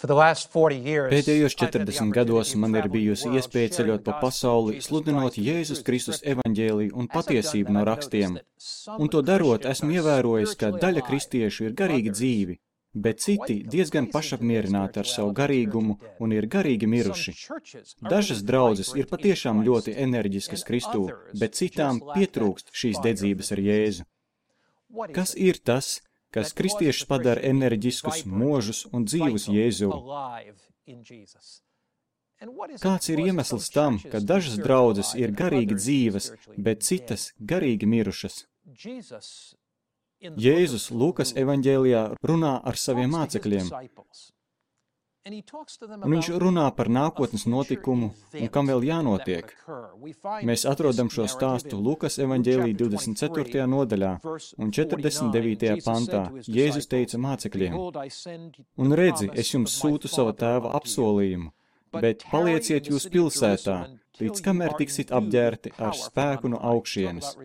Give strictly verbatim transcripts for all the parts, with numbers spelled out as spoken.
Pēdējos četrdesmit gados man ir bijusi iespēja ceļot pa pasauli, sludinot Jēzus Kristus evaņģēliju un patiesību no rakstiem. Un to darot, esmu ievērojis, ka daļa kristiešu ir garīgi dzīvi, bet citi diezgan pašapmierināti ar savu garīgumu un ir garīgi miruši. Dažas draudzes ir patiešām ļoti enerģiskas Kristū, bet citām pietrūkst šīs dedzības ar Jēzu. Kas ir tas, kas kristiešus padara enerģiskus, možus un dzīvus Jēzū? Kāds ir iemesls tam, ka dažas draudzes ir garīgi dzīvas, bet citas garīgi mirušas? Jēzus Lūkas evaņģēlijā runā ar saviem mācekļiem, un viņš runā par nākotnes notikumu un kam vēl jānotiek. Mēs atrodam šo stāstu Lūkas evaņģēlija divdesmit ceturtajā nodaļā un četrdesmit devītajā pantā. Jēzus teica mācekļiem: Un redzi, es jums sūtu sava tēva apsolījumu, bet palieciet jūs pilsētā, līdz kamēr tiksit apģērti ar spēku no augšienes.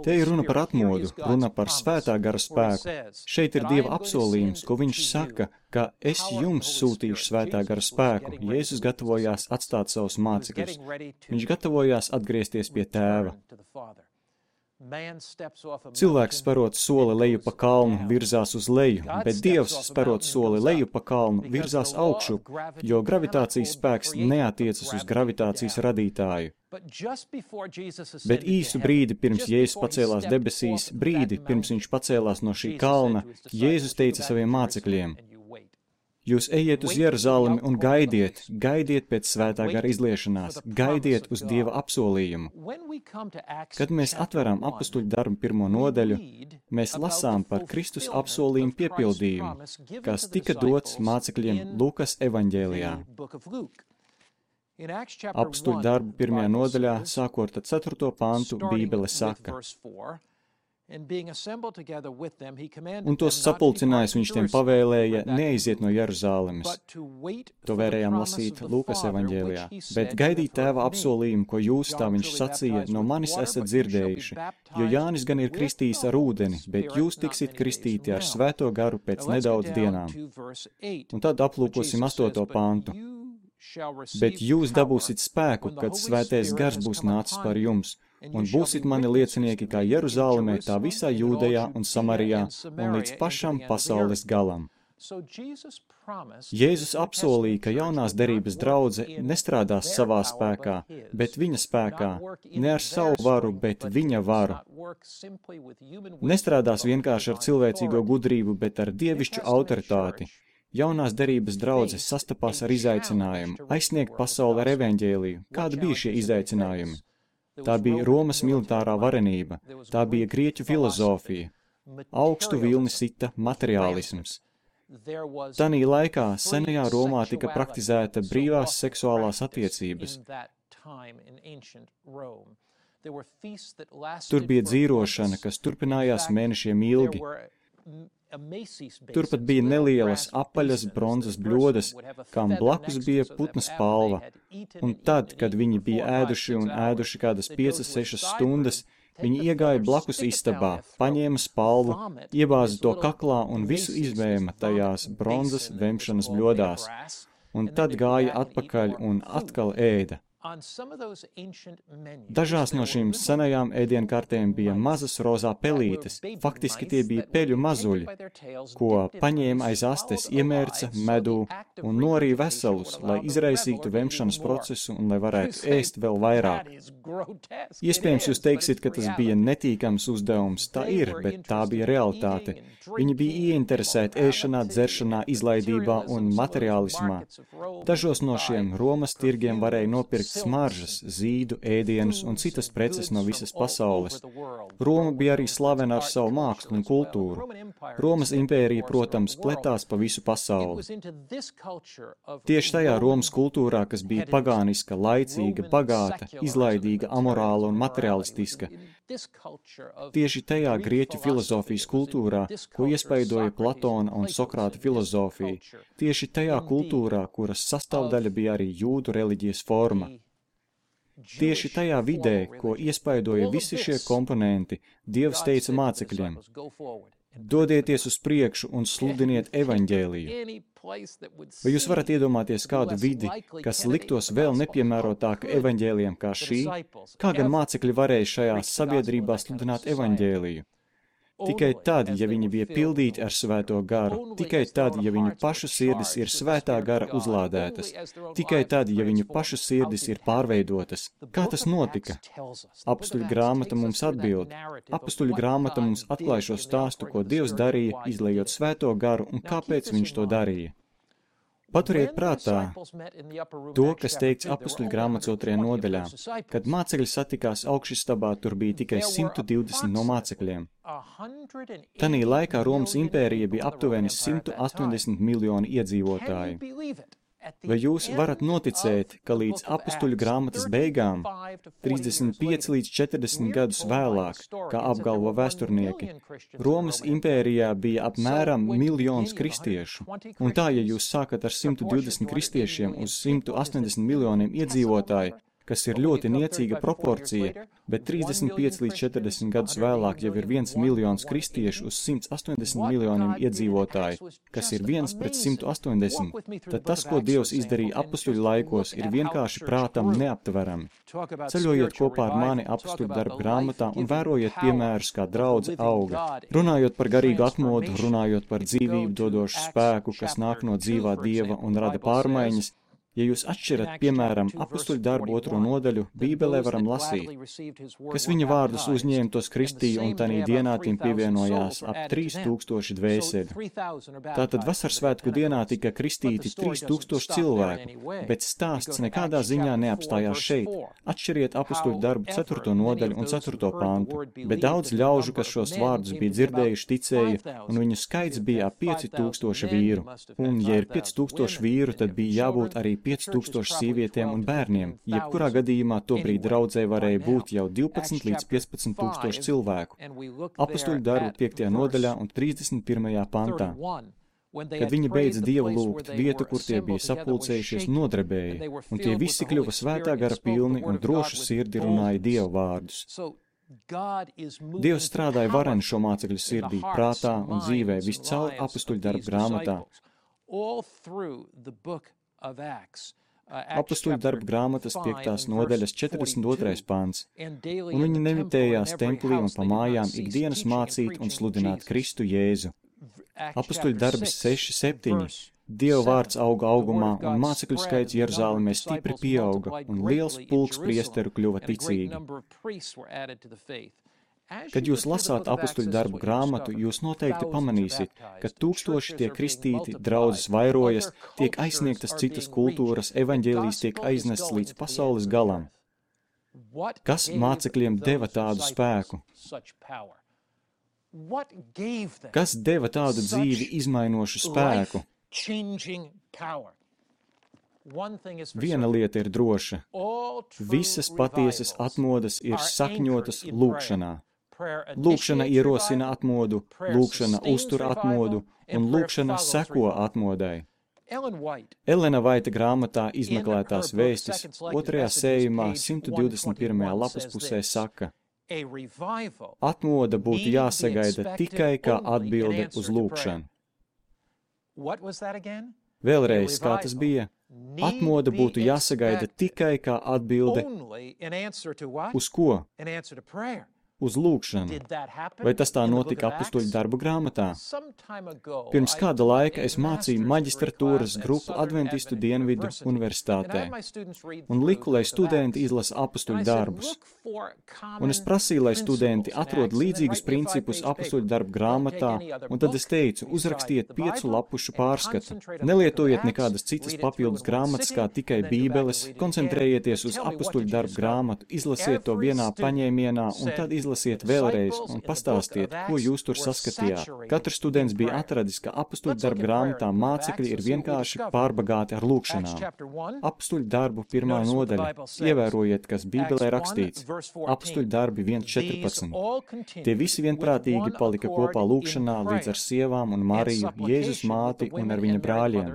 Te ir runa par atmodu, runa par svētā gara spēku. Šeit ir Dieva apsolījums, ko viņš saka, ka es jums sūtīšu svētā gara spēku. Jēzus gatavojās atstāt savus mācekļus. Viņš gatavojās atgriezties pie tēva. Cilvēks sparot soli leju pa kalnu, virzās uz leju, bet Dievs sparot soli leju pa kalnu, virzās augšu, jo gravitācijas spēks neatiecas uz gravitācijas radītāju. Bet īsu brīdi pirms Jēzus pacēlās debesīs, brīdi pirms viņš pacēlās no šī kalna, Jēzus teica saviem mācekļiem: Jūs ejiet uz Jeruzalemi un gaidiet, gaidiet pēc svētā gara izliešanās, gaidiet uz Dieva apsolījumu. Kad mēs atveram apustuļu darbu pirmo nodaļu, mēs lasām par Kristus apsolījumu piepildījumu, kas tika dots mācekļiem Lūkas evaņģēlijā. Apustuļu darbu pirmajā nodaļā, sākot ar ceturto pantu, Bībele saka: Un tos sapulcinājis viņš tiem pavēlēja neaiziet no Jeruzālemes. To varējām lasīt Lūkas evaņģēlijā. Bet gaidīt tēva apsolījumu, ko jūs, tā viņš sacīja, no manis esat dzirdējuši. Jo Jānis gan ir kristījis ar ūdeni, bet jūs tiksit kristīti ar svēto garu pēc nedaudz dienām. Un tad aplūkosim astoto pantu. Bet jūs dabūsit spēku, kad svētais gars būs nācis par jums, un būsit mani liecinieki kā Jeruzālemē, tā visā Jūdejā un Samarijā, un līdz pašam pasaules galam. Jēzus apsolīja, ka jaunās derības draudze nestrādās savā spēkā, bet viņa spēkā, ne ar savu varu, bet viņa varu. Nestrādās vienkārši ar cilvēcīgo gudrību, bet ar dievišķu autoritāti. Jaunās derības draudzes sastapās ar izaicinājumu, aizsniegt pasauli ar evaņģēliju. Kādi bija šie izaicinājumi? Tā bija Romas militārā varenība, tā bija grieķu filozofija, augstu vilni sita materiālisms. Tanī laikā senajā Romā tika praktizēta brīvās seksuālās attiecības. Tur bija dzīrošana, kas turpinājās mēnešiem ilgi. Turpat bija nelielas apaļas bronzas bļodas, kam blakus bija putna spalva. Un tad, kad viņi bija ēduši un ēduši kādas piecas, sešas stundas, viņi iegāja blakus istabā, paņēma spalvu, iebāza to kaklā un visu izvēma tajās bronzas vemšanas bļodās. Un tad gāja atpakaļ un atkal ēda. Dažās no šīm senajām ēdienkartēm bija mazas rozā pelītes, faktiski tie bija peļu mazuļi, ko paņēma aiz astes, iemērca medū un norīja veselus, lai izraisītu vemšanas procesu un lai varētu ēst vēl vairāk. Iespējams, jūs teiksiet, ka tas bija netīkams uzdevums. Tā ir, bet tā bija realitāte. Viņi bija ieinteresēti ēšanā, dzeršanā, izlaidībā un materiālismā. Dažos no šiem Romas tirgiem varēja nopirkt smaržas, zīdu, ēdienus un citas preces no visas pasaules. Roma bija arī slavena ar savu mākslu un kultūru. Romas impērija, protams, pletās pa visu pasauli. Tieši tajā Romas kultūrā, kas bija pagāniska, laicīga, bagāta, izlaidīga, amorāla un materialistiska. Tieši tajā grieķu filozofijas kultūrā, ko iespaidoja Platona un Sokrāta filozofija. Tieši tajā kultūrā, kuras sastāvdaļa bija arī jūdu reliģijas forma. Tieši tajā vidē, ko iespaidoja visi šie komponenti, Dievs teica mācekļiem: Dodieties uz priekšu un sludiniet evaņģēliju. Vai jūs varat iedomāties kādu vidi, kas liktos vēl nepiemērotāka evaņģēlijam kā šī? Kā gan mācekļi varēja šajā sabiedrībā sludināt evaņģēliju? Tikai tad, ja viņi bija pildīti ar svēto garu, tikai tad, ja viņu pašu sirdis ir svētā gara uzlādētas, tikai tad, ja viņu pašu sirdis ir pārveidotas. Kā tas notika? Apustuļu grāmata mums atbild. Apustuļu grāmata mums atklāj šo stāstu, ko Dievs darīja, izlejot svēto garu un kāpēc viņš to darīja. Paturiet prātā to, kas teikts apustuļu grāmatas otrajā nodaļā. Kad mācekļi satikās augšistabā, tur bija tikai simt divdesmit no mācekļiem. Tanī laikā Romas impērija bija aptuveni simt astoņdesmit miljoni iedzīvotāji. Vai jūs varat noticēt, ka līdz apustuļu grāmatas beigām, trīsdesmit pieci līdz četrdesmit gadus vēlāk, kā apgalvo vēsturnieki, Romas impērijā bija apmēram miljons kristiešu? Un tā, ja jūs sākat ar simt divdesmit kristiešiem uz simt astoņdesmit miljoniem iedzīvotāju, kas ir ļoti niecīga proporcija, bet trīsdesmit pieci līdz četrdesmit gadus vēlāk jau ir viens miljons kristiešu uz simt astoņdesmit miljoniem iedzīvotāju, kas ir viens pret simt astoņdesmit, tad tas, ko Dievs izdarīja apustuļu laikos, ir vienkārši prātam neaptverami. Ceļojiet kopā ar mani apustuļu darbu grāmatā un vērojiet piemērus, kā draudze auga. Runājot par garīgu atmodu, runājot par dzīvību dodošu spēku, kas nāk no dzīvā Dieva un rada pārmaiņas, ja jūs atšķirat, piemēram, apustuļu darbu otro nodaļu, Bībelē varam lasīt, kas viņa vārdus uzņēma, tos kristīja, un tanī dienā tiem pievienojās ap trīs tūkstoši dvēseli. Tātad vasarsvētku dienā tika kristīti trīs tūkstoši cilvēku, bet stāsts nekādā ziņā neapstājās šeit. Atšķiriet apustuļu darbu ceturto nodaļu un ceturto pantu, bet daudz ļaužu, kas šos vārdus bija dzirdējuši, ticēja, un viņu skaits bija ap pieci tūkstoši vīru. Un, ja ir pieci tūkstoši vīru, tad bija jābūt arī pieci tūkstoši sievietēm un bērniem, jebkurā gadījumā tobrīd draudzē varēja būt jau divpadsmit līdz piecpadsmit tūkstoši cilvēku. Apustuļu darbu piektajā nodaļā un trīsdesmit pirmajā pantā. Kad viņi beidza Dievu lūgt, vietu, kur tie bija sapulcējušies, nodrebēja, un tie visi kļuva svētā gara pilni un drošu sirdi runāja Dieva vārdus. Dievs strādāja vareni šo mācekļu sirdī, prātā un dzīvē viscaur apustuļu darbu grāmatā. Apustuļu darbu grāmatas piektās nodaļas četrdesmit otrais pants, un viņi nemitējās templī un pa mājām ikdienas mācīt un sludināt Kristu Jēzu. Apustuļu darbis seši septiņi. Dieva vārds auga augumā, un mācekļu skaits Jeruzālemē stipri pieauga, un liels pulks priesteru kļuva ticīgi. Kad jūs lasāt apustuļu darbu grāmatu, jūs noteikti pamanīsiet, ka tūkstoši tiek kristīti, draudzes vairojas, tiek aizsniegtas citas kultūras, evaņģēlijs tiek aiznests līdz pasaules galam. Kas mācekļiem deva tādu spēku? Kas deva tādu dzīvi izmainošu spēku? Viena lieta ir droša. Visas patiesas atmodas ir sakņotas lūkšanā. Lūkšana ierosina atmodu, lūkšana uztur atmodu, un lūkšana seko atmodai. Elena Vaita grāmatā Izmeklētās vēstis otrajā sējumā simt divdesmit pirmajā lapas pusē saka, atmoda būtu jāsagaida tikai kā atbilde uz lūkšanu. Vēlreiz, kā tas bija? Atmoda būtu jāsagaida tikai kā atbilde uz ko? Uz lūkšanu. Vai tas tā notika apustuļu darbu grāmatā? Pirms kāda laika es mācīju maģistratūras grupu Adventistu Dienvidu universitātē un liku, lai studenti izlasa apustuļu darbus. Un es prasīju, lai studenti atrod līdzīgus principus apustuļu darbu grāmatā, un tad es teicu, uzrakstiet piecu lapušu pārskatu. Nelietojiet nekādas citas papildus grāmatas, kā tikai bībeles, koncentrējieties uz apustuļu darbu grāmatu, izlasiet to vienā paņēmienā, un tad izlasiet Izlasiet vēlreiz un pastāstiet, ko jūs tur saskatījāt. Katrs students bija atradis, ka apustuļu darbu grāmatā mācekļi ir vienkārši pārbagāti ar lūkšanām. Apustuļu darbu pirmā nodaļa. Ievērojiet, kas Bībelē rakstīts. Apustuļu darbi viens četrpadsmit. Tie visi vienprātīgi palika kopā lūkšanā līdz ar sievām un Mariju, Jēzus māti un ar viņa brāļiem.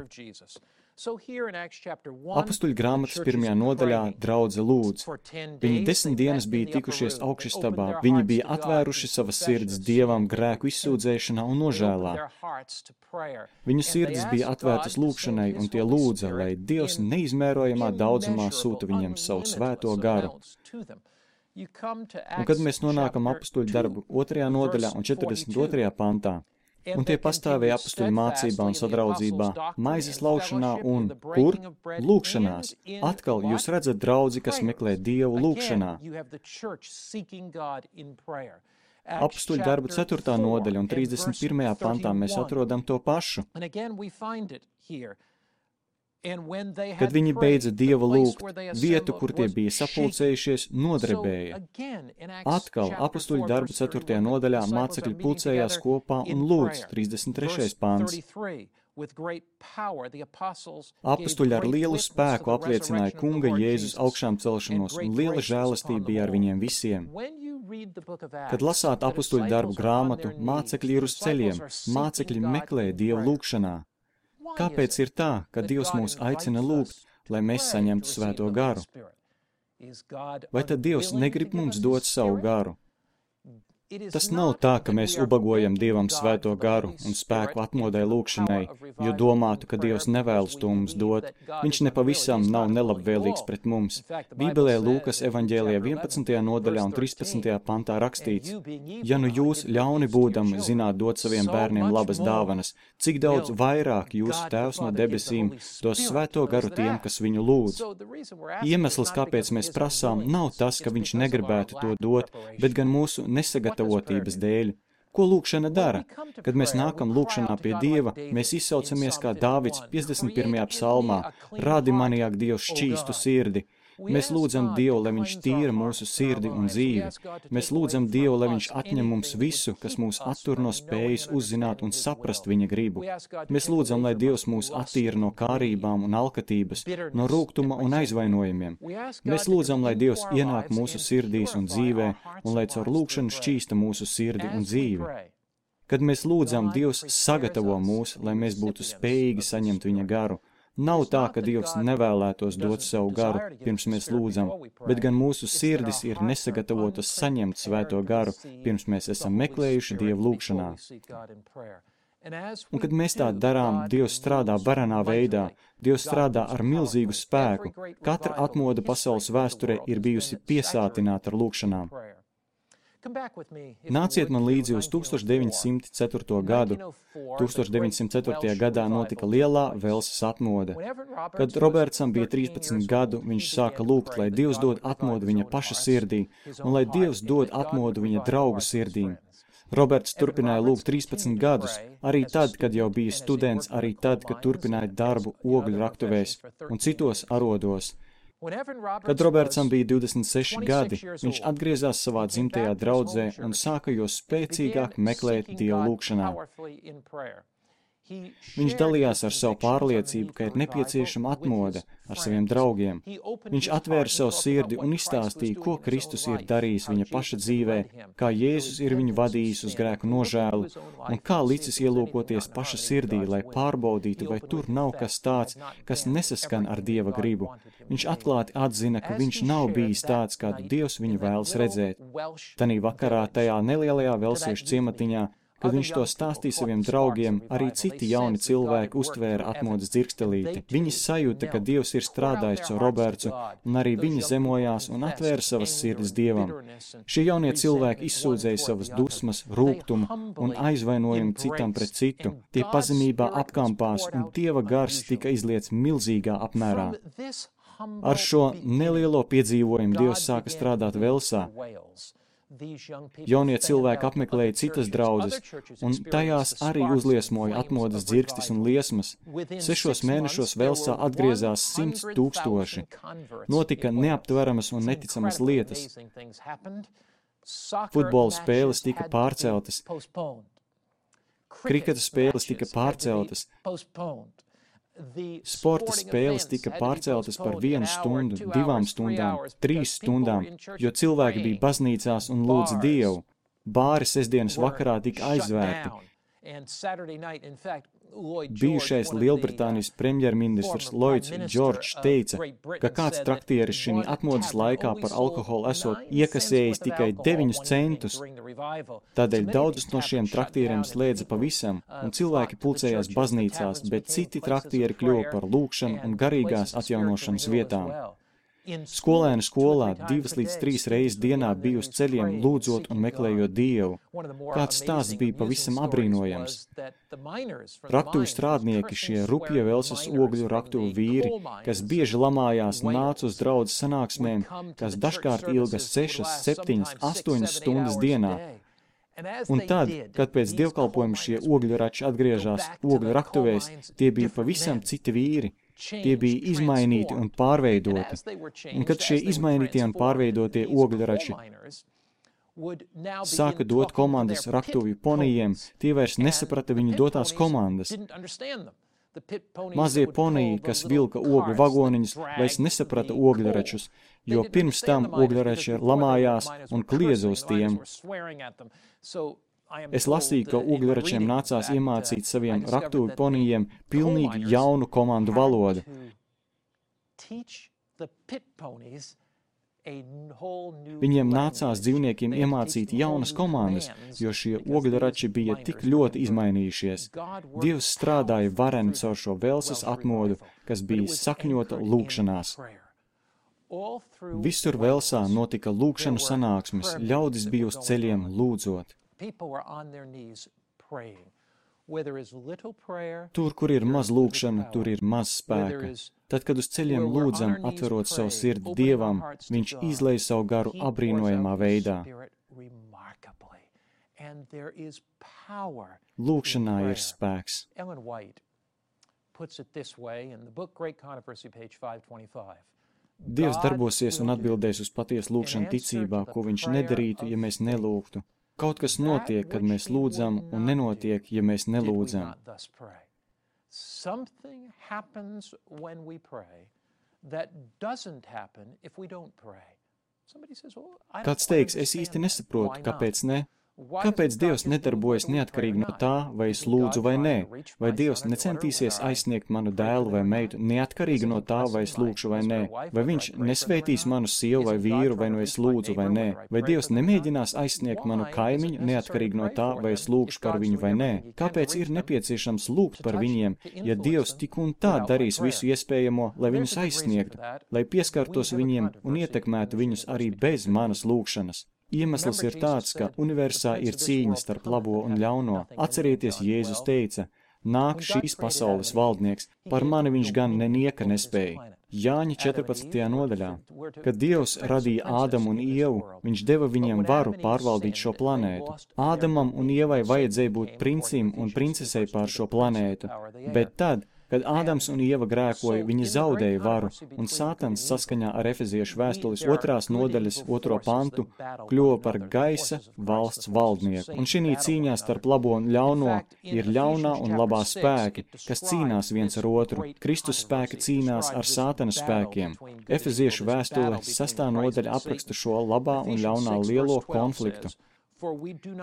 Apustuļu grāmatas pirmajā nodaļā draudze lūdz. Viņi desmit dienas bija tikušies augšistabā, viņi bija atvēruši savas sirdis Dievam grēku izsūdzēšanā un nožēlā. Viņu sirdis bija atvērtas lūgšanai, un tie lūdza, lai Dievs neizmērojamā daudzumā sūta viņiem savu svēto garu. Un kad mēs nonākam apustuļu darbu otrajā nodaļā un četrdesmit otrajā pantā, un tie pastāvēja apustuļu mācībā un sadraudzībā, maizes laušanā un, kur? Lūgšanās. Atkal jūs redzat draudzi, kas meklē Dievu lūgšanā. Apustuļu darbu ceturtā nodaļa un trīsdesmit pirmajā pantā mēs atrodam to pašu. Kad viņi beidza Dievu lūgt, vietu, kur tie bija sapulcējušies, nodrebēja. Atkal apustuļu darbu ceturtajā nodaļā mācekļi pulcējās kopā un lūdz, trīsdesmit trešais pants. Apustuļi ar lielu spēku apliecināja Kunga Jēzus augšām celšanos, un liela žēlastība bija ar viņiem visiem. Kad lasāt apustuļu darbu grāmatu, mācekļi ir uz ceļiem, mācekļi meklē Dievu lūgšanā. Kāpēc ir tā, ka Dievs mūs aicina lūgt, lai mēs saņemtu svēto garu? Vai tad Dievs negrib mums dot savu garu? Tas nav tā, ka mēs ubagojam Dievam svēto garu un spēku atmodai lūgšanai, jo domātu, ka Dievs nevēlas to mums dot. Viņš nepavisam nav nelabvēlīgs pret mums. Bībelē Lūkas evaņģēlijā vienpadsmitajā nodaļā un trīspadsmitajā pantā rakstīts: Ja nu jūs ļauni būdami zināt dot saviem bērniem labas dāvanas, cik daudz vairāk jūsu Tēvs no debesīm dos svēto garu tiem, kas viņu lūdz. Iemesls, kāpēc mēs prasām, nav tas, ka viņš negribētu to dot, bet gan mūsu nesagatavotības dēļ. Ko lūgšana dara? Kad mēs nākam lūgšanā pie Dieva, mēs izsaucamies kā Dāvids piecdesmit pirmajā psalmā: Rādi manī, ak, Dievs, šķīstu sirdi. Mēs lūdzam Dievu, lai viņš tīra mūsu sirdi un dzīvi. Mēs lūdzam Dievu, lai viņš atņem mums visu, kas mūs attur no spējas uzzināt un saprast viņa gribu. Mēs lūdzam, lai Dievs mūs attīra no kārībām un alkatības, no rūgtuma un aizvainojumiem. Mēs lūdzam, lai Dievs ienāk mūsu sirdīs un dzīvē, un lai caur lūgšanu šķīsta mūsu sirdi un dzīvi. Kad mēs lūdzam, Dievs sagatavo mūs, lai mēs būtu spējīgi saņemt viņa garu. Nav tā, ka Dievs nevēlētos dot savu garu, pirms mēs lūdzam, bet gan mūsu sirdis ir nesagatavotas saņemt svēto garu, pirms mēs esam meklējuši Dievu lūgšanā. Un kad mēs tā darām, Dievs strādā varenā veidā, Dievs strādā ar milzīgu spēku. Katra atmoda pasaules vēsturē ir bijusi piesātināta ar lūgšanām. Nāciet man līdzi uz tūkstoš deviņsimt ceturto gadu. tūkstoš deviņsimt ceturtajā gadā notika lielā Velsas atmoda. Kad Robertsam bija trīspadsmit gadu, viņš sāka lūgt, lai Dievs dod atmodu viņa paša sirdī, un lai Dievs dod atmodu viņa draugu sirdīm. Roberts turpināja lūgt trīspadsmit gadus, arī tad, kad jau bija students, arī tad, kad turpināja darbu ogļu raktuvēs un citos arodos. Kad Robertsam bija divdesmit seši gadi, viņš atgriezās savā dzimtajā draudzē un sāka jo spēcīgāk meklēt Dievu lūgšanā. Viņš dalījās ar savu pārliecību, ka ir nepieciešama atmoda ar saviem draugiem. Viņš atvēra savu sirdi un izstāstīja, ko Kristus ir darījis viņa paša dzīvē, kā Jēzus ir viņu vadījis uz grēku nožēlu un kā licis ielūkoties paša sirdī, lai pārbaudītu, vai tur nav kas tāds, kas nesaskan ar Dieva gribu. Viņš atklāti atzina, ka viņš nav bijis tāds, kādu Dievs viņu vēlas redzēt. Tanī vakarā tajā nelielajā velsiešu ciematiņā, kad viņš to stāstīja saviem draugiem, arī citi jauni cilvēki uztvēra atmodas dzirkstelīti. Viņi sajūta, ka Dievs ir strādājis caur Robertu, un arī viņi zemojās un atvēra savas sirdis Dievam. Šie jaunie cilvēki izsūdzēja savas dusmas, rūgtumu un aizvainojumu citam pret citu. Tie pazemībā apkampās, un Dieva gars tika izliets milzīgā apmērā. Ar šo nelielo piedzīvojumu Dievs sāka strādāt Velsā. Jaunie cilvēki apmeklēja citas draudzes, un tajās arī uzliesmoja atmodas dzirkstis un liesmas. Sešos mēnešos Velsā atgriezās simts tūkstoši. Notika neaptveramas un neticamas lietas. Futbola spēles tika pārceltas. Kriketa spēles tika pārceltas. Sporta spēles tika pārceltas par vienu stundu, divām stundām, trīs stundām, jo cilvēki bija baznīcās un lūdza Dievu. Bāri sestdienas vakarā tika aizvērti. Bijušais Lielbritānijas premjerministrs Lloyds George teica, ka kāds traktieris šī atmodas laikā par alkoholu esot iekasējis tikai deviņus centus. Tādēļ daudzus no šiem traktieriem slēdza pavisam, un cilvēki pulcējās baznīcās, bet citi traktieri kļuva par lūgšanu un garīgās atjaunošanas vietām. Skolēni skolā divas līdz trīs reizes dienā bija uz ceļiem, lūdzot un meklējot Dievu. Kāds stāsts bija pavisam abrīnojams. Raktuvu strādnieki, šie rupja Velsas ogļu raktuvu vīri, kas bieži lamājās, nāca uz draudzes sanāksmēm, kas dažkārt ilgas sešas, septiņas, astoņas stundas dienā. Un tad, kad pēc dievkalpojuma šie ogļu rači atgriežās ogļu raktuvēs, tie bija pavisam citi vīri. Tie bija izmainīti un pārveidoti. Un kad šie izmainītie un pārveidotie ogļrači sāka dot komandas raktuvju ponijiem, tie vairs nesaprata viņu dotās komandas. Mazie poniji, kas vilka ogļu vagoniņus, vairs nesaprata ogļračus, jo pirms tam ogļrači lamājās un kliedza uz tiem. Es lasīju, ka ogļračiem nācās iemācīt saviem raktuvi ponijiem pilnīgi jaunu komandu valodu. Viņiem nācās dzīvniekiem iemācīt jaunas komandas, jo šie ogļrači bija tik ļoti izmainījušies. Dievs strādāja vareni caur šo Velsas atmodu, kas bija sakņota lūgšanās. Visur Velsā notika lūgšanu sanāksmes, ļaudis bija uz ceļiem lūdzot. Tur, kur ir maz lūgšana, tur ir maz spēka. Tad, kad uz ceļiem lūdzam, atverot savu sirdi Dievam, viņš izlej savu garu abrīnojamā veidā. Lūgšanā ir spēks. Dievs darbosies un atbildēs uz patiesu lūgšanu ticībā, ko viņš nedarītu, ja mēs nelūgtu. Kaut kas notiek, kad mēs lūdzam, un nenotiek, ja mēs nelūdzam. Kāds teiks, es īsti nesaprotu, kāpēc ne? Kāpēc Dievs nedarbojas neatkarīgi no tā, vai es lūdzu vai nē? Vai Dievs necentīsies aizsniegt manu dēlu vai meitu neatkarīgi no tā, vai es lūgšu vai nē? Vai viņš nesvētīs manu sievu vai vīru, vai no es lūdzu vai nē? Vai Dievs nemēģinās aizsniegt manu kaimiņu neatkarīgi no tā, vai es lūgšu par viņu vai nē? Kāpēc ir nepieciešams lūgt par viņiem, ja Dievs tik un tā darīs visu iespējamo, lai viņus aizsniegtu, lai pieskartos viņiem un ietekmētu viņus arī bez manas lūgšanas? Iemesls ir tāds, ka universā ir cīņa starp labo un ļauno. Atcerieties, Jēzus teica, nāk šīs pasaules valdnieks, par mani viņš gan nenieka nespēja. Jāņa četrpadsmitajā nodaļā. Kad Dievs radīja Ādamu un Ievu, viņš deva viņiem varu pārvaldīt šo planētu. Ādamam un Ievai vajadzēja būt princim un princesei pār šo planētu, bet tad, kad Ādams un Ieva grēkoja, viņi zaudēja varu, un Sātans saskaņā ar Efeziešu vēstules otrās nodaļas otro pantu kļuva par gaisa valsts valdnieku. Un šī cīņā starp labo un ļauno ir ļaunā un labā spēki, kas cīnās viens ar otru. Kristus spēki cīnās ar Sātana spēkiem. Efeziešu vēstule sastā nodaļa apraksta šo labā un ļaunā lielo konfliktu.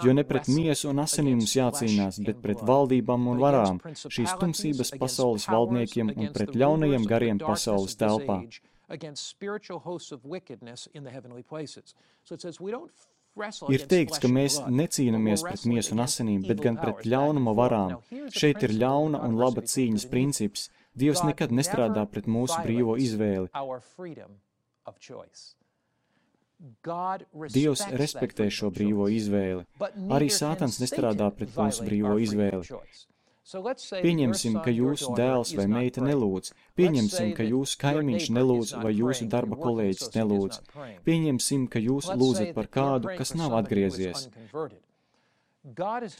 Jo ne pret miesu un asinīm mums jācīnās, bet pret valdībām un varām, šīs tumsības pasaules valdniekiem un pret ļaunajiem gariem pasaules telpā. Ir teikts, ka mēs necīnamies pret miesu un asinīm, bet gan pret ļaunuma varām. Šeit ir ļauna un laba cīņas princips. Dievs nekad nestrādā pret mūsu brīvo izvēli. Dievs respektē šo brīvo izvēli. Arī Sātans nestrādā pret mūsu brīvo izvēli. Pieņemsim, ka jūsu dēls vai meita nelūdz. Pieņemsim, ka jūsu kaimiņš nelūdz vai jūsu darba kolēģis nelūdz. Pieņemsim, ka jūs lūdzat par kādu, kas nav atgriezies.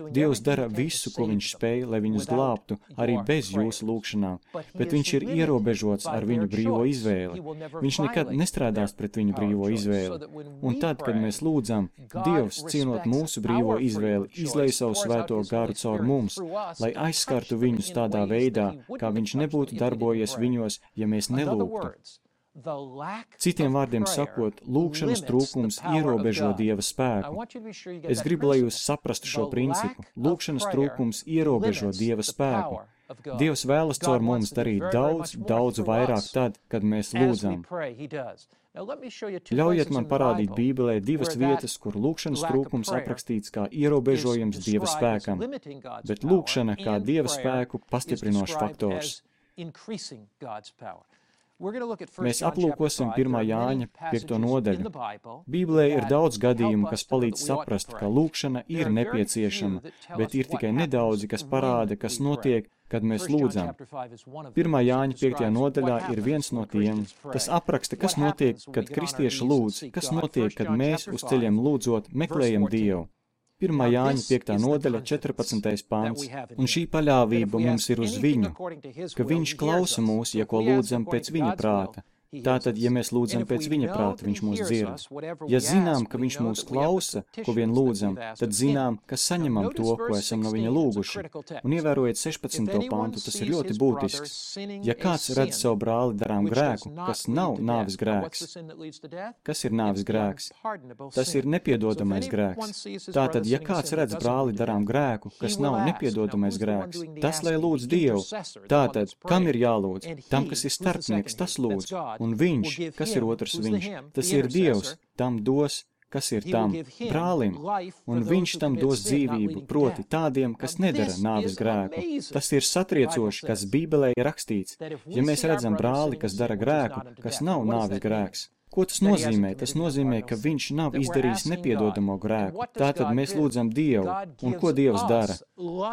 Dievs dara visu, ko viņš spēj, lai viņus glābtu, arī bez jūsu lūgšanām, bet viņš ir ierobežots ar viņu brīvo izvēli. Viņš nekad nestrādās pret viņu brīvo izvēli. Un tad, kad mēs lūdzam, Dievs, cienot mūsu brīvo izvēli, izlej savu svēto garu caur mums, lai aizskartu viņus tādā veidā, kā viņš nebūtu darbojies viņos, ja mēs nelūgtu. Citiem vārdiem sakot, lūgšanas trūkums ierobežo Dieva spēku. Es gribu, lai jūs saprastu šo principu. Lūgšanas trūkums ierobežo Dieva spēku. Dievs vēlas caur mums darīt daudz, daudz vairāk tad, kad mēs lūdzam. Ļaujiet man parādīt Bībelē divas vietas, kur lūkšanas trūkums aprakstīts kā ierobežojums Dieva spēkam, bet lūkšana kā Dieva spēku pastiprinošs faktors. Mēs aplūkosim pirmā Jāņa piekto nodaļu. Bībelē ir daudz gadījumu, kas palīdz saprast, ka lūkšana ir nepieciešama, bet ir tikai nedaudzi, kas parāda, kas notiek, kad mēs lūdzam. Pirmā Jāņa piektajā nodaļā ir viens no tiem. Tas apraksta, kas notiek, kad kristieši lūdz, kas notiek, kad mēs uz ceļiem lūdzot meklējam Dievu. Pirmā Jāņa piektā nodaļa, četrpadsmitais pants, un šī paļāvība mums ir uz viņu, ka viņš klausa mūs, ja ko lūdzam pēc viņa prāta. Tātad, ja mēs lūdzam pēc viņa prāta, viņš mūs dzird. Ja zinām, ka viņš mūs klausa, ko vien lūdzam, tad zinām, ka saņemam to, ko esam no viņa lūguši. Un ievērojiet sešpadsmito pantu, tas ir ļoti būtisks. Ja kāds redz savu brāli darām grēku, kas nav nāves grēks. Kas ir nāves grēks? Tas ir nepiedodamais grēks. Tātad, ja kāds redz brāli darām grēku, kas nav nepiedodamais grēks, tas lai lūdz Dievu. Tātad, kam ir jālūdz? Tam, kas ir starpnieks, tas lūdz. Un viņš, kas ir otrs viņš, tas ir Dievs, tam dos, kas ir tam brālim, un viņš tam dos dzīvību, proti tādiem, kas nedara nāves grēku. Tas ir satriecoši, kas Bībelē ir rakstīts. Ja mēs redzam brāli, kas dara grēku, kas nav nāves grēks, ko tas nozīmē? Tas nozīmē, ka viņš nav izdarījis nepiedodamo grēku. Tātad mēs lūdzam Dievu, un ko Dievs dara?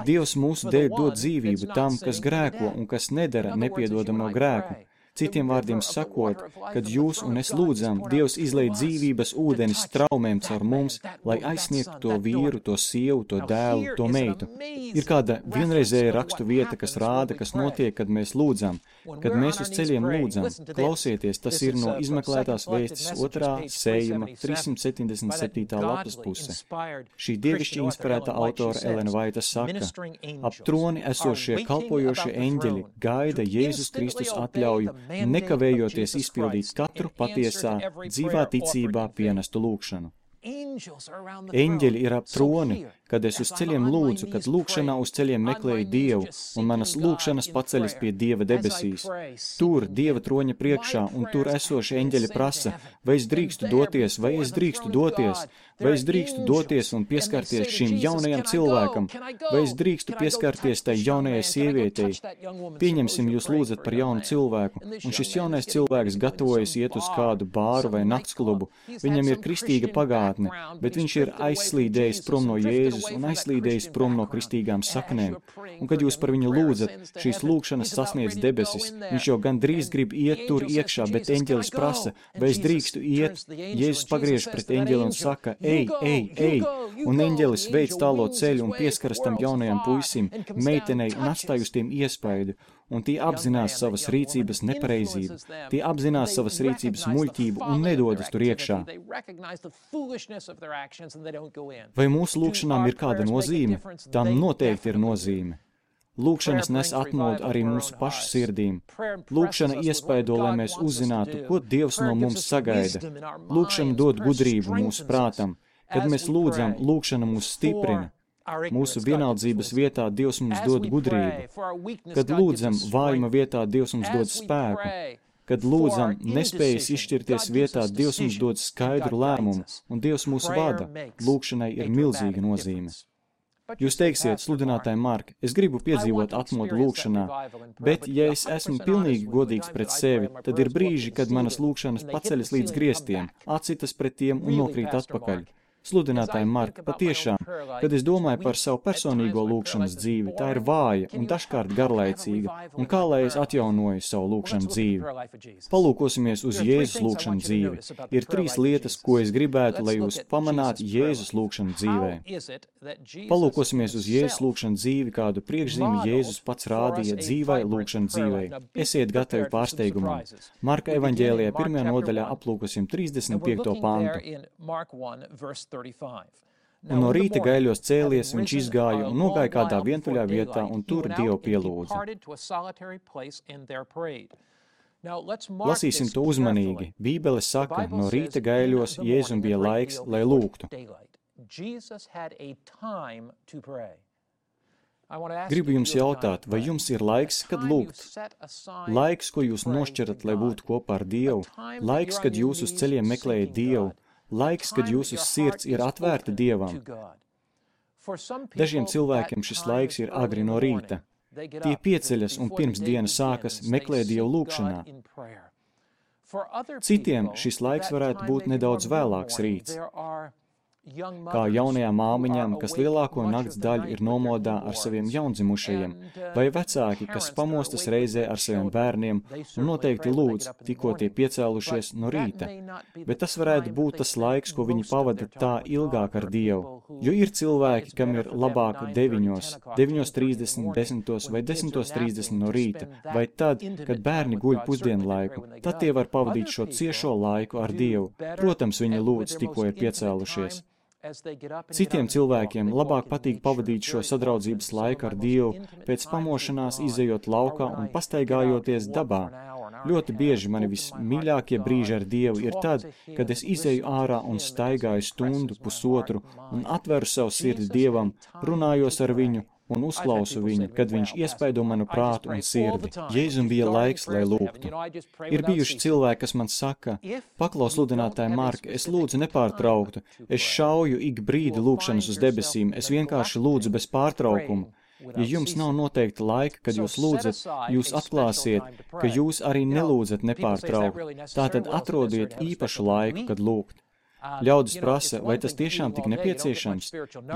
Dievs mūsu dēļ dod dzīvību tam, kas grēko un kas nedara nepiedodamo grēku. Citiem vārdiem sakot, kad jūs un es lūdzam, Dievs izlej dzīvības ūdeni straumēm caur mums, lai aizsniegtu to vīru, to sievu, to dēlu, to meitu. Ir kāda vienreizēja rakstu vieta, kas rāda, kas notiek, kad mēs lūdzam. Kad mēs uz ceļiem lūdzam, klausieties, tas ir no izmeklētās vēstis otrā sējuma trīssimt septiņdesmit septītā lapas puse. Šī dievišķi inspirēta autora Elena Vaita saka, ap troni esošie kalpojošie eņģeļi gaida Jēzus Kristus atļauju, nekavējoties izpildīt katru patiesā, dzīvā ticībā pienestu lūkšanu. Eņģeļi ir ap troni, kad es uz ceļiem lūdzu, kad lūkšanā uz ceļiem meklēju Dievu, un manas lūkšanas paceļas pie Dieva debesīs. Tur, Dieva troņa priekšā, un tur esoši eņģeļi prasa, vai es drīkstu doties, vai es drīkstu doties, vai es drīkstu doties un pieskarties šim jaunajam cilvēkam, vai es drīkstu pieskarties tai jaunajai sievietei. Pieņemsim, jūs lūdzat par jaunu cilvēku, un šis jaunais cilvēks gatavojas iet uz kādu bāru vai naktsklubu. Viņam ir kristīga pagātne, bet viņš ir aizslīdējis prom no Jēzus un aizslīdējis prom no kristīgām saknēm. Un kad jūs par viņu lūdzat, šīs lūkšanas sasniedz debesis. Viņš jau gan drīz grib iet tur iekšā, bet eņģelis prasa, vai es drīkstu iet. Jēzus pagriež pret eņģeli un saka, ej, ej, ej. Un eņģelis veic tālo ceļu un pieskaras tam jaunajam puisim, meitenei un atstāj uz tiem iespaidu. Un tie apzinās savas rīcības nepareizību, tie apzinās savas rīcības muļķību un nedodas tur iekšā. Vai mūsu lūkšanām ir kāda nozīme? Tam noteikti ir nozīme. Lūkšanas nes atmodu arī mūsu pašu sirdīm. Lūkšana iespaido, lai mēs uzzinātu, ko Dievs no mums sagaida. Lūkšana dod gudrību mūsu prātam. Kad mēs lūdzam, lūkšana mūs stiprina. Mūsu vienaldzības vietā Dievs mums dod gudrību. Kad lūdzam, vājuma vietā Dievs mums dod spēku. Kad lūdzam, nespējas izšķirties vietā, Dievs mums dod skaidru lēmumu, un Dievs mūs vada. Lūkšanai ir milzīga nozīme. Jūs teiksiet, sludinātāji Mark, es gribu piedzīvot atmodu lūkšanā, bet, ja es esmu pilnīgi godīgs pret sevi, tad ir brīži, kad manas lūkšanas paceļas līdz griestiem, atsitas pret tiem un nokrīt atpakaļ. Sludinātāji Marka, patiešām, kad es domāju par savu personīgo lūkšanas dzīvi, tā ir vāja un dažkārt garlaicīga, un kā lai es atjaunoju savu lūkšanu dzīvi. Palūkosimies uz Jēzus lūkšanu dzīvi. Ir trīs lietas, ko es gribētu, lai jūs pamanātu Jēzus lūkšanu dzīvē. Palūkosimies uz Jēzus lūkšanu dzīvi, kādu priekšzīmi Jēzus pats rādīja dzīvai lūkšanu dzīvei. Esiet gatavi pārsteigumam. Marka evaņģēlijā pirmajā nodaļā aplūkosim trīsdesmit piekto pantu. Un no rīta gaiļos cēlies, viņš izgāja un nogāja kādā vientuļā vietā, un tur Dievu pielūdza. Lasīsim to uzmanīgi. Bībele saka, no rīta gaiļos Jēzum bija laiks, lai lūgtu. Gribu jums jautāt, vai jums ir laiks, kad lūgt? Laiks, ko jūs nošķirat, lai būtu kopā ar Dievu? Laiks, kad jūs uz ceļiem meklējat Dievu? Laiks, kad jūsu sirds ir atvērta Dievam? Dažiem cilvēkiem šis laiks ir agri no rīta. Tie pieceļas un pirms diena sākas meklē Dievu lūkšanā. Citiem šis laiks varētu būt nedaudz vēlāks rīts. Kā jaunajām māmiņām, kas lielāko nakts daļu ir nomodā ar saviem jaundzimušajiem, vai vecāki, kas pamostas reizē ar saviem bērniem un noteikti lūdz, tikko tie piecēlušies no rīta. Bet tas varētu būt tas laiks, ko viņi pavada tā ilgāk ar Dievu, jo ir cilvēki, kam ir labāk deviņos, deviņos trīsdesmit, desmitos vai desmitos trīsdesmit no rīta, vai tad, kad bērni guļ pusdienu laiku, tad tie var pavadīt šo ciešo laiku ar Dievu. Protams, viņi lūdz, tikko ir piecēlušies. Citiem cilvēkiem labāk patīk pavadīt šo sadraudzības laiku ar Dievu, pēc pamošanās izejot laukā un pastaigājoties dabā. Ļoti bieži mani vismīļākie brīži ar Dievu ir tad, kad es izeju ārā un staigāju stundu, pusotru un atveru savu sirdi Dievam, runājos ar viņu un uzklausu viņu, kad viņš iespaido manu prātu un sirdi. Jēzum bija laiks, lai lūgtu. Ir bijuši cilvēki, kas man saka, paklaus sludinātāja Marka, es lūdzu nepārtrauktu, es šauju ik brīdi lūkšanas uz debesīm, es vienkārši lūdzu bez pārtraukuma. Ja jums nav noteikta laika, kad jūs lūdzat, jūs atklāsiet, ka jūs arī nelūdzat nepārtraukt. Tātad atrodiet īpašu laiku, kad lūgt. Ļaudis prasa, vai tas tiešām tik nepieciešams?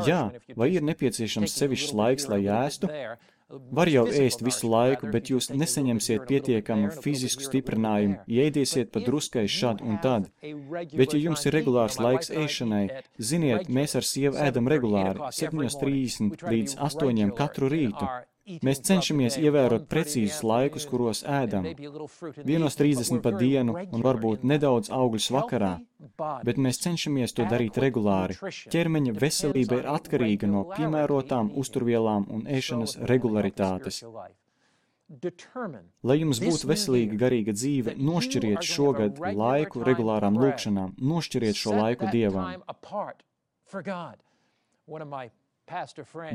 Jā, vai ir nepieciešams sevišķs laiks, lai ēstu? Var jau ēst visu laiku, bet jūs nesaņemsiet pietiekamu fizisku stiprinājumu, ja ēdiesiet pa druskai šad un tad. Bet ja jums ir regulārs laiks ēšanai, ziniet, mēs ar sievu ēdam regulāri, septiņos trīsdesmit līdz astoņiem katru rītu. Mēs cenšamies ievērot precīzus laikus, kuros ēdam. Vienos trīsdesmit pa dienu un varbūt nedaudz augļus vakarā, bet mēs cenšamies to darīt regulāri. Ķermeņa veselība ir atkarīga no piemērotām uzturvielām un ēšanas regularitātes. Lai jums būtu veselīga garīga dzīve, nošķiriet šogad laiku regulārām lūkšanām, nošķiriet šo laiku Dievam.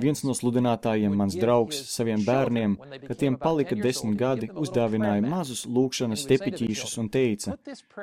Viens no sludinātājiem, mans draugs, saviem bērniem, kad tiem palika desmit gadi, uzdāvināja mazus lūkšanas tepiķīšus un teica,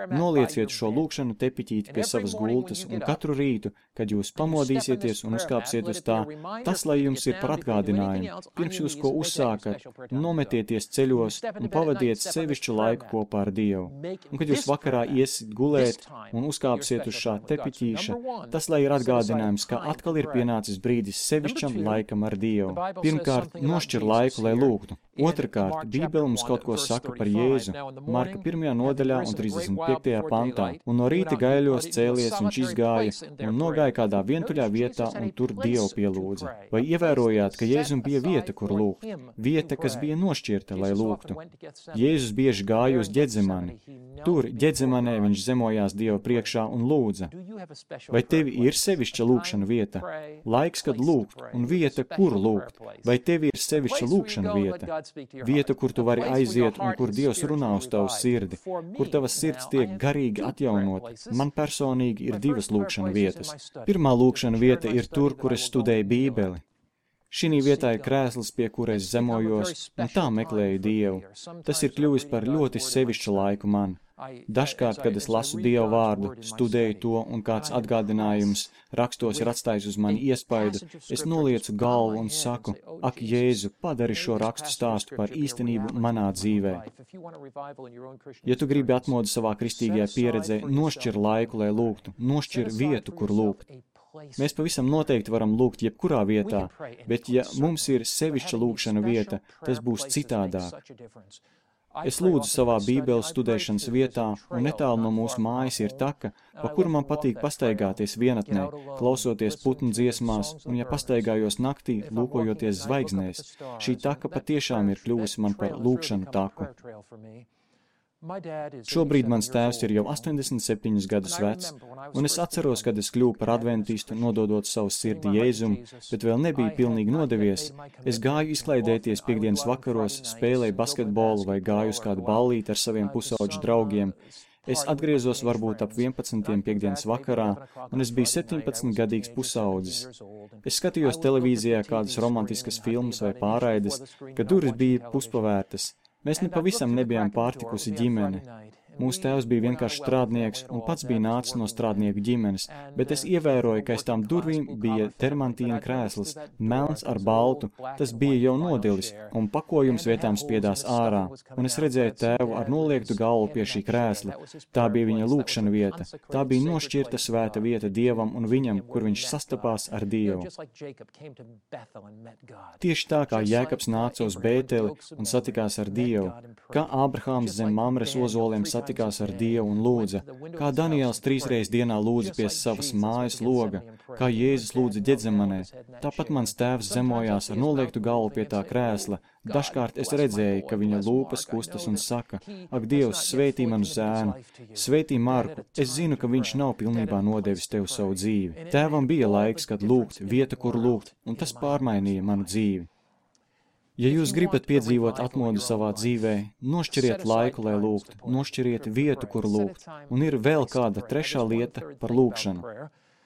nolieciet šo lūkšanu tepiķīti pie savas gultas un katru rītu, kad jūs pamodīsieties un uzkāpsiet uz tā, tas, lai jums ir par atgādinājumu. Pirms jūs ko uzsākat, nometieties ceļos un pavadiet sevišķu laiku kopā ar Dievu. Un kad jūs vakarā iesit gulēt un uzkāpsiet uz šā tepiķīša, tas, lai ir atgādinājums, ka atkal ir pienācis brīdis sevišķam laikam ar Dievu. Pirmkārt, nošķir laiku, lai lūgtu. Otrakārt, Bībele mums kaut ko saka par Jēzu. Marka pirmajā nodaļā un trīsdesmit piektajā pantā. Un no rīta gaiļos cēlies viņš izgāja un nogāja kādā vientuļā vietā un tur Dievu pielūdza. Vai ievērojāt, ka Jēzum bija vieta, kur lūgt? Vieta, kas bija nošķirta, lai lūgtu. Jēzus bieži gāja uz Ģedzemani. Tur, Ģedzemanē, viņš zemojās Dieva priekšā un lūdza. Vai tevi ir sevišķa lūkšana vieta? Laiks, kad lūgt, un vieta, kur lūgt. Vai tevi ir sevišķa lūkšana vieta? Vieta, kur tu vari aiziet un kur Dievs runā uz tavu sirdi, kur tavas sirds tiek garīgi atjaunot. Man personīgi ir divas lūkšana vietas. Pirmā lūkšana vieta ir tur, kur es studēju Bībeli. Šī vietā ir krēsls, pie kura es zemojos, un tā meklēju Dievu. Tas ir kļuvis par ļoti sevišķu laiku man. Dažkārt, kad es lasu Dieva vārdu, studēju to un kāds atgādinājums rakstos ir atstājis uz mani iespaidu, es noliecu galvu un saku, ak, Jēzu, padari šo rakstu stāstu par īstenību manā dzīvē. Ja tu gribi atmodu savā kristīgajā pieredzē, nošķir laiku, lai lūgtu, nošķir vietu, kur lūgt. Mēs pavisam noteikti varam lūgt jebkurā vietā, bet ja mums ir sevišķa lūkšana vieta, tas būs citādāk. Es lūdzu savā Bībeles studēšanas vietā, un netālu no mūsu mājas ir taka, pa kuru man patīk pastaigāties vienatnē, klausoties putnu dziesmās, un ja pastaigājos naktī, lūkojoties zvaigznēs. Šī taka patiešām ir kļuvusi man par lūkšanu taku. Šobrīd mans tēvs ir jau astoņdesmit septiņus gadus vecs, un es atceros, kad es kļuvu par adventistu, nododot savu sirdi Jēzum, bet vēl nebija pilnīgi nodevies. Es gāju izklaidēties piekdienas vakaros, spēlēju basketbolu vai gāju uz kādu ballīti ar saviem pusauģu draugiem. Es atgriezos varbūt ap vienpadsmitiem piekdienas vakarā, un es biju septiņpadsmitgadīgs pusaudzis. Es skatījos televīzijā kādas romantiskas filmas vai pārraides, kad durvis bija puspavērtas. Mēs nepavisam nebijām pārtikusi ģimene. Mūsu tēvs bija vienkārši strādnieks un pats bija nācis no strādnieku ģimenes, bet es ievēroju, ka aiz tām durvīm bija termantīna krēsls, melns ar baltu, tas bija jau nodilis, un pakojums vietām spiedās ārā, un es redzēju tēvu ar noliektu galvu pie šī krēsla. Tā bija viņa lūkšana vieta, tā bija nošķirta svēta vieta Dievam un viņam, kur viņš sastapās ar Dievu. Tieši tā kā Jēkabs nāca uz Bēteli un satikās ar Dievu, kā Ābrahāms zem Mamres ozoliem satikās tikās ar Dievu un lūdza, kā Daniels trīsreiz dienā lūdza pie savas mājas loga, kā Jēzus lūdza Ģedzemanē. Tāpat mans tēvs zemojās ar noliektu galvu pie tā krēsla. Dažkārt es redzēju, ka viņa lūpas kustas un saka, ak, Dievs, svētī manu zēnu, svētī Marku, es zinu, ka viņš nav pilnībā nodevis tev savu dzīvi. Tēvam bija laiks, kad lūgt, vieta, kur lūgt, un tas pārmainīja manu dzīvi. Ja jūs gribat piedzīvot atmodu savā dzīvē, nošķiriet laiku, lai lūgt, nošķiriet vietu, kur lūgt, un ir vēl kāda trešā lieta par lūkšanu.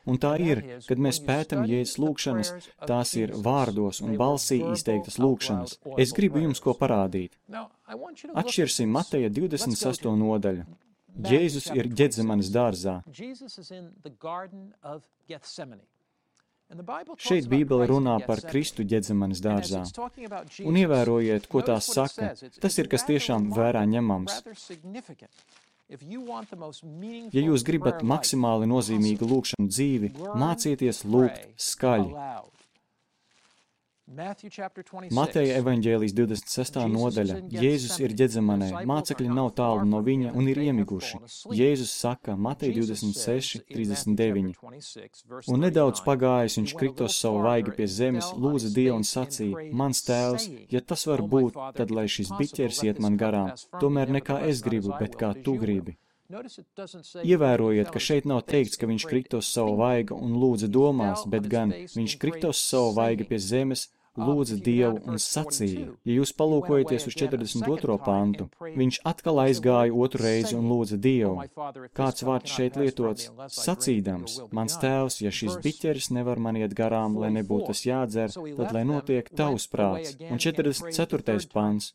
Un tā ir, kad mēs pētam Jēzus lūkšanas, tās ir vārdos un balsī izteiktas lūkšanas. Es gribu jums ko parādīt. Atšķirsim Mateja divdesmit sesto nodaļu. Jēzus ir Ģedzemanes dārzā. Šeit Bībele runā par Kristu Ģedzemanes dārzā. Un ievērojiet, ko tās saka. Tas ir, kas tiešām vērā ņemams. Ja jūs gribat maksimāli nozīmīgu lūkšanu dzīvi, mācieties lūgt skaļi. Mateja evaņģēlijas divdesmit sestā nodaļa. Jēzus ir Ģedzemanē, mācekļi nav tālu no viņa un ir iemiguši. Jēzus saka, Mateja divdesmit seši, trīsdesmit deviņi. Un nedaudz pagājis, viņš kritos savu vaigu pie zemes, lūdza Dievu un sacīja, mans tēvs, ja tas var būt, tad lai šis biķers iet man garām, tomēr ne kā es gribu, bet kā tu gribi. Ievērojiet, ka šeit nav teikts, ka viņš kritos savu vaigu un lūdza domās, bet gan viņš kritos savu vaigu pie zemes, lūdza Dievu un sacīja. Ja jūs palūkojaties uz četrdesmit otro pantu, viņš atkal aizgāja otru reizi un lūdza Dievu. Kāds vārds šeit lietots? Sacīdams, mans tēvs, ja šis biķeris nevar man iet garām, lai nebūtu tas jādzer, tad lai notiek tavs prāts. Un četrdesmit ceturtais pants.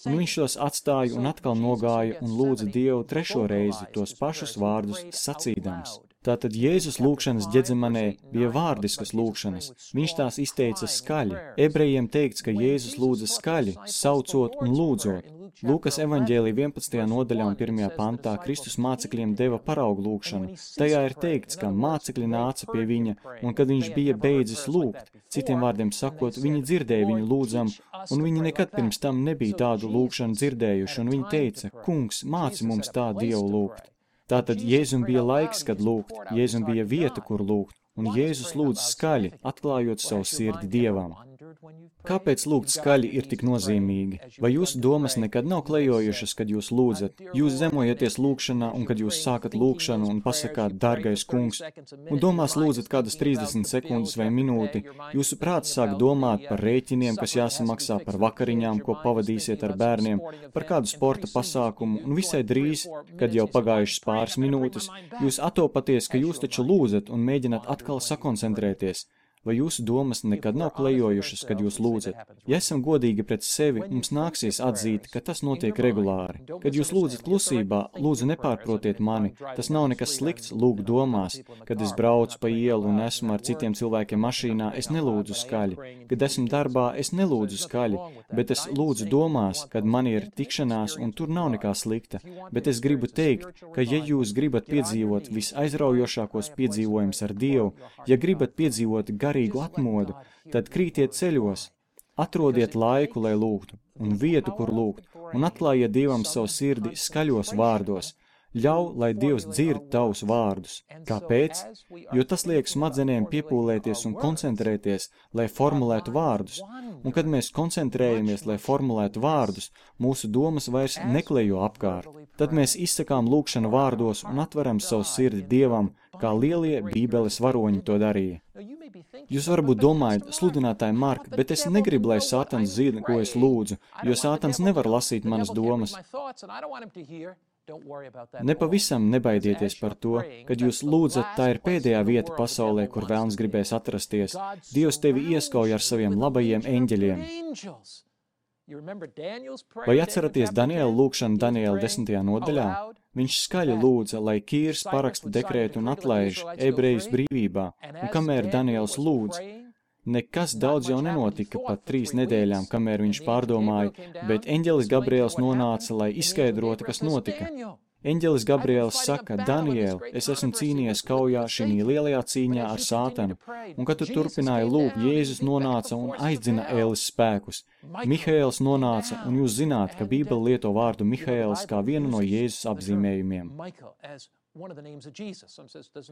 Un viņš tos atstāja un atkal nogāja un lūdza Dievu trešo reizi tos pašus vārdus sacīdams. Tātad Jēzus lūkšanas Ģedzemanē bija vārdiskas lūkšanas. Viņš tās izteica skaļi. Ebrejiem teikts, ka Jēzus lūdza skaļi, saucot un lūdzot. Lūkas evaņģēlija vienpadsmitajā nodaļā un pirmajā pantā Kristus mācekļiem deva paraugu lūkšanu. Tajā ir teikts, ka mācekļi nāca pie viņa, un kad viņš bija beidzis lūgt, citiem vārdiem sakot, viņi dzirdēja viņu lūdzam, un viņi nekad pirms tam nebija tādu lūkšanu dzirdējuši, un viņi teica, kungs, māci mums tā Dievu lūgt. Tātad Jēzum bija laiks, kad lūgt, Jēzum bija vieta, kur lūgt, un Jēzus lūdz skaļi, atklājot savu sirdi Dievam. Kāpēc lūgt skaļi ir tik nozīmīgi? Vai jūsu domas nekad nav klejojušas, kad jūs lūdzat? Jūs zemojaties lūkšanā, un kad jūs sākat lūkšanu un pasakāt, dārgais kungs, un domās lūdzat kādas trīsdesmit sekundes vai minūti, jūsu prāts sāk domāt par rēķiniem, kas jāsamaksā, par vakariņām, ko pavadīsiet ar bērniem, par kādu sporta pasākumu, un visai drīz, kad jau pagājušas pāris minūtes, jūs atopaties, ka jūs taču lūdzat un mēģināt atkal sakoncentrēties. Vai jūsu domas nekad nav klejojušas, kad jūs lūdzat? Ja esam godīgi pret sevi, mums nāksies atzīt, ka tas notiek regulāri. Kad jūs lūdzat klusībā, lūdzu nepārprotiet mani, tas nav nekas slikts lūgt domās. Kad es braucu pa ielu un esmu ar citiem cilvēkiem mašīnā, es nelūdzu skaļi. Kad esmu darbā, es nelūdzu skaļi, bet es lūdzu domās, kad man ir tikšanās un tur nav nekā slikta. Bet es gribu teikt, ka ja jūs gribat piedzīvot visaizraujošākos piedzīvojumus ar Dievu, ja gribat piedzīvot gar garīgu atmodu, tad krītiet ceļos, atrodiet laiku, lai lūgtu, un vietu, kur lūgt, un atklājiet Dievam savu sirdi skaļos vārdos. Ļauj, lai Dievs dzird tavus vārdus. Kāpēc? Jo tas liek smadzenēm piepūlēties un koncentrēties, lai formulētu vārdus. Un kad mēs koncentrējamies, lai formulētu vārdus, mūsu domas vairs neklejo apkārt. Tad mēs izsakām lūkšanu vārdos un atveram savu sirdi Dievam, kā lielie Bībeles varoņi to darīja. Jūs varbūt domājat, sludinātāji Mark, bet es negribu, lai Sātans zina, ko es lūdzu, jo Sātans nevar lasīt manas domas. Nepavisam nebaidieties par to, kad jūs lūdzat, tā ir pēdējā vieta pasaulē, kur vēlns gribēs atrasties. Dievs tevi ieskauj ar saviem labajiem eņģeļiem. Vai atceraties Daniela lūgšanu Daniela desmitajā nodaļā? Viņš skaļi lūdza, lai Kīrs paraksta dekrētu un atlaiž ebrejus brīvībā, un kamēr Daniels lūdz, nekas daudz jau nenotika pat trīs nedēļām, kamēr viņš pārdomāja, bet eņģelis Gabriels nonāca, lai izskaidrotu, kas notika. Eņģelis Gabriels saka, Daniel, es esmu cīnījies kaujā šī lielajā cīņā ar sātanu, un kad tu turpināji lūgt, Jēzus nonāca un aizdzina Ēles spēkus. Mihaēls nonāca, un jūs zināt, ka Bībele lieto vārdu Mihaēls kā vienu no Jēzus apzīmējumiem.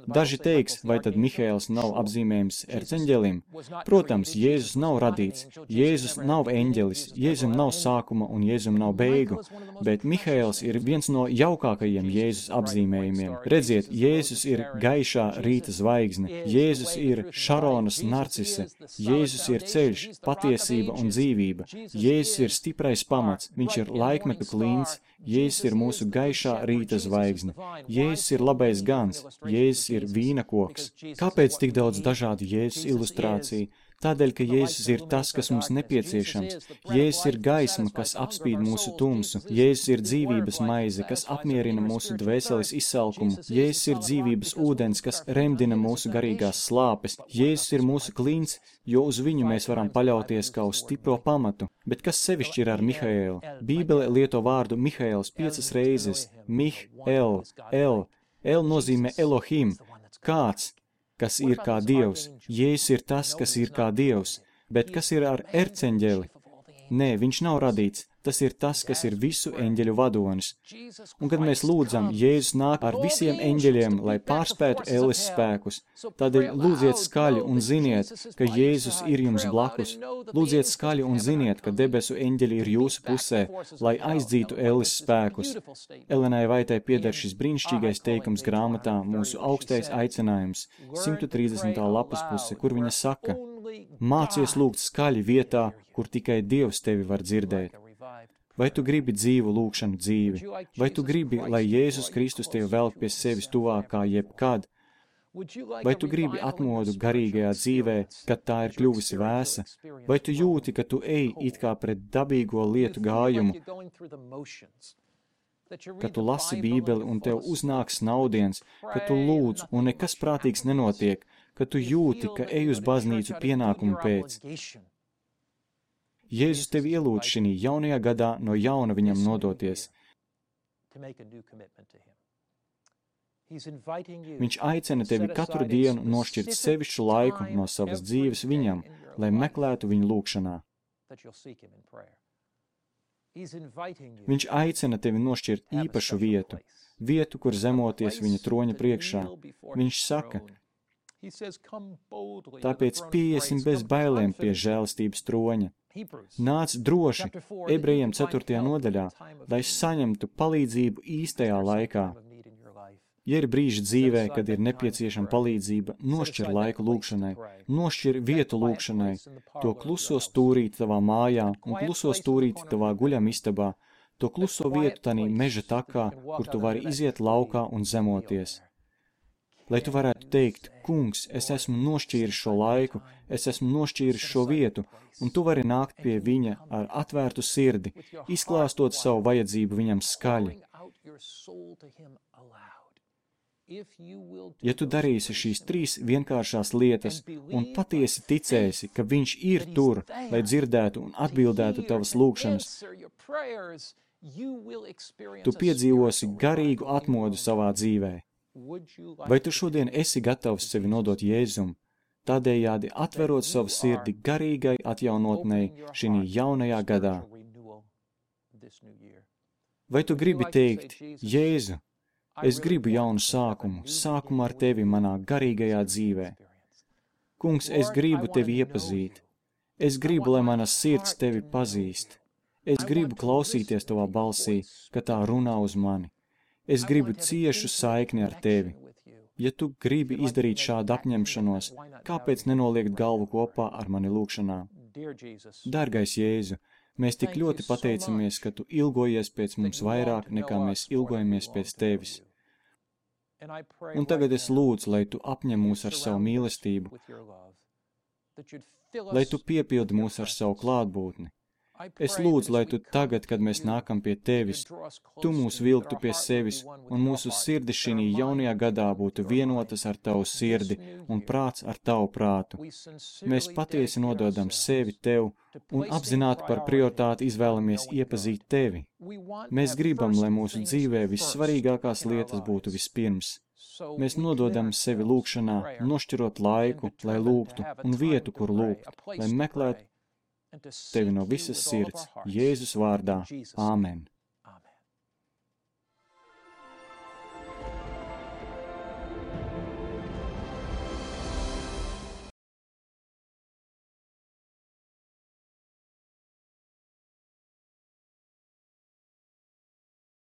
Daži teiks, vai tad Mihaēls nav apzīmējums erceņģelim? Protams, Jēzus nav radīts, Jēzus nav eņģelis, Jēzum nav sākuma un Jēzum nav beigu, bet Mihaēls ir viens no jaukākajiem Jēzus apzīmējumiem. Redziet, Jēzus ir gaišā rīta zvaigzne, Jēzus ir Šaronas narcise, Jēzus ir ceļš, patiesība un dzīvība, Jēzus ir stiprais pamats, viņš ir laikmetu klints, Jēzus ir mūsu gaišā rīta zvaigzne, Jēzus ir labais gans, Jēzus ir vīna koks. Kāpēc tik daudz dažādu Jēzus ilustrāciju? Tādēļ, ka Jēzus ir tas, kas mums nepieciešams. Jēzus ir gaisma, kas apspīd mūsu tumsu. Jēzus ir dzīvības maize, kas apmierina mūsu dvēseles izsalkumu. Jēzus ir dzīvības ūdens, kas remdina mūsu garīgās slāpes. Jēzus ir mūsu klints, jo uz viņu mēs varam paļauties kā uz stipro pamatu. Bet kas sevišķi ir ar Mihaēlu? Bībele lieto vārdu Mihaēls piecas reizes. Mih-el, el. El nozīmē Elohim, kāds, kas ir kā Dievs. Jēzus ir tas, kas ir kā Dievs. Bet kas ir ar erceņģeli? Nē, viņš nav radīts. Tas ir tas, kas ir visu eņģeļu vadonis. Un kad mēs lūdzam, Jēzus nāk ar visiem eņģeļiem, lai pārspētu Ēles spēkus. Tādēļ lūdziet skaļi un ziniet, ka Jēzus ir jums blakus. Lūdziet skaļi un ziniet, ka debesu eņģeļi ir jūsu pusē, lai aizdzītu Ēles spēkus. Elenai Vaitai pieder šis brīnišķīgais teikums grāmatā Mūsu augstais aicinājums, simt trīsdesmitā lapas puse, kur viņa saka, mācies lūgt skaļi vietā, kur tikai Dievs tevi var dzirdēt. Vai tu gribi dzīvu lūgšanu dzīvi? Vai tu gribi, lai Jēzus Kristus tevi velk pie sevis tuvāk kā jebkad? Vai tu gribi atmodu garīgajā dzīvē, kad tā ir kļuvusi vēsa? Vai tu jūti, ka tu ej it kā pret dabīgo lietu gājumu? Ka tu lasi Bībeli un tev uznāk snaudiens, ka tu lūdz un nekas prātīgs nenotiek, ka tu jūti, ka ej uz baznīcu pienākumu pēc. Jēzus tevi ielūdz šī jaunajā gadā no jauna viņam nodoties. Viņš aicina tevi katru dienu nošķirt sevišķu laiku no savas dzīves viņam, lai meklētu viņu lūgšanā. Viņš aicina tevi nošķirt īpašu vietu, vietu, kur zemoties viņa troņa priekšā. Viņš saka, tāpēc pieiesim bez bailēm pie žēlastības troņa. Nāc droši, ebrejiem ceturtajā nodaļā, lai saņemtu palīdzību īstajā laikā. Ja ir brīži dzīvē, kad ir nepieciešama palīdzība, nošķir laiku lūgšanai, nošķir vietu lūgšanai, to kluso stūrīti tavā mājā un kluso stūrīti tavā guļamistabā, to kluso vietu tanī meža takā, kur tu vari iziet laukā un zemoties. Lai tu varētu teikt, kungs, es esmu nošķīris šo laiku, es esmu nošķīris šo vietu, un tu vari nākt pie viņa ar atvērtu sirdi, izklāstot savu vajadzību viņam skaļi. Ja tu darīsi šīs trīs vienkāršās lietas un patiesi ticēsi, ka viņš ir tur, lai dzirdētu un atbildētu tavas lūgšanas, tu piedzīvosi garīgu atmodu savā dzīvē. Vai tu šodien esi gatavs sevi nodot Jēzum, tādējādi atverot savu sirdi garīgai atjaunotnei šī jaunajā gadā? Vai tu gribi teikt, Jēzu, es gribu jaunu sākumu, sākumu ar tevi manā garīgajā dzīvē? Kungs, es gribu tevi iepazīt. Es gribu, lai mana sirds tevi pazīst. Es gribu klausīties tavā balsī, ka tā runā uz mani. Es gribu ciešu saikni ar tevi. Ja tu gribi izdarīt šādu apņemšanos, kāpēc nenoliekt galvu kopā ar mani lūgšanā? Dargais Jēzu, Mēs tik ļoti pateicamies, ka Tu ilgojies pēc mums vairāk, nekā mēs ilgojamies pēc Tevis. Un tagad es lūdzu, lai Tu apņem mūs ar savu mīlestību, lai Tu piepildi mūs ar savu klātbūtni. Es lūdzu, lai Tu tagad, kad mēs nākam pie Tevis, Tu mūs vilktu pie sevis, un mūsu sirdi šī jaunajā gadā būtu vienotas ar Tavu sirdi un prāts ar Tavu prātu. Mēs patiesi nododam sevi Tev un apzināti par prioritāti izvēlamies iepazīt Tevi. Mēs gribam, lai mūsu dzīvē vissvarīgākās lietas būtu vispirms. Mēs nododam sevi lūgšanā, nošķirot laiku, lai lūgtu, un vietu, kur lūgt, lai meklētu Tevi no visas sirds, Jēzus vārdā. Āmen.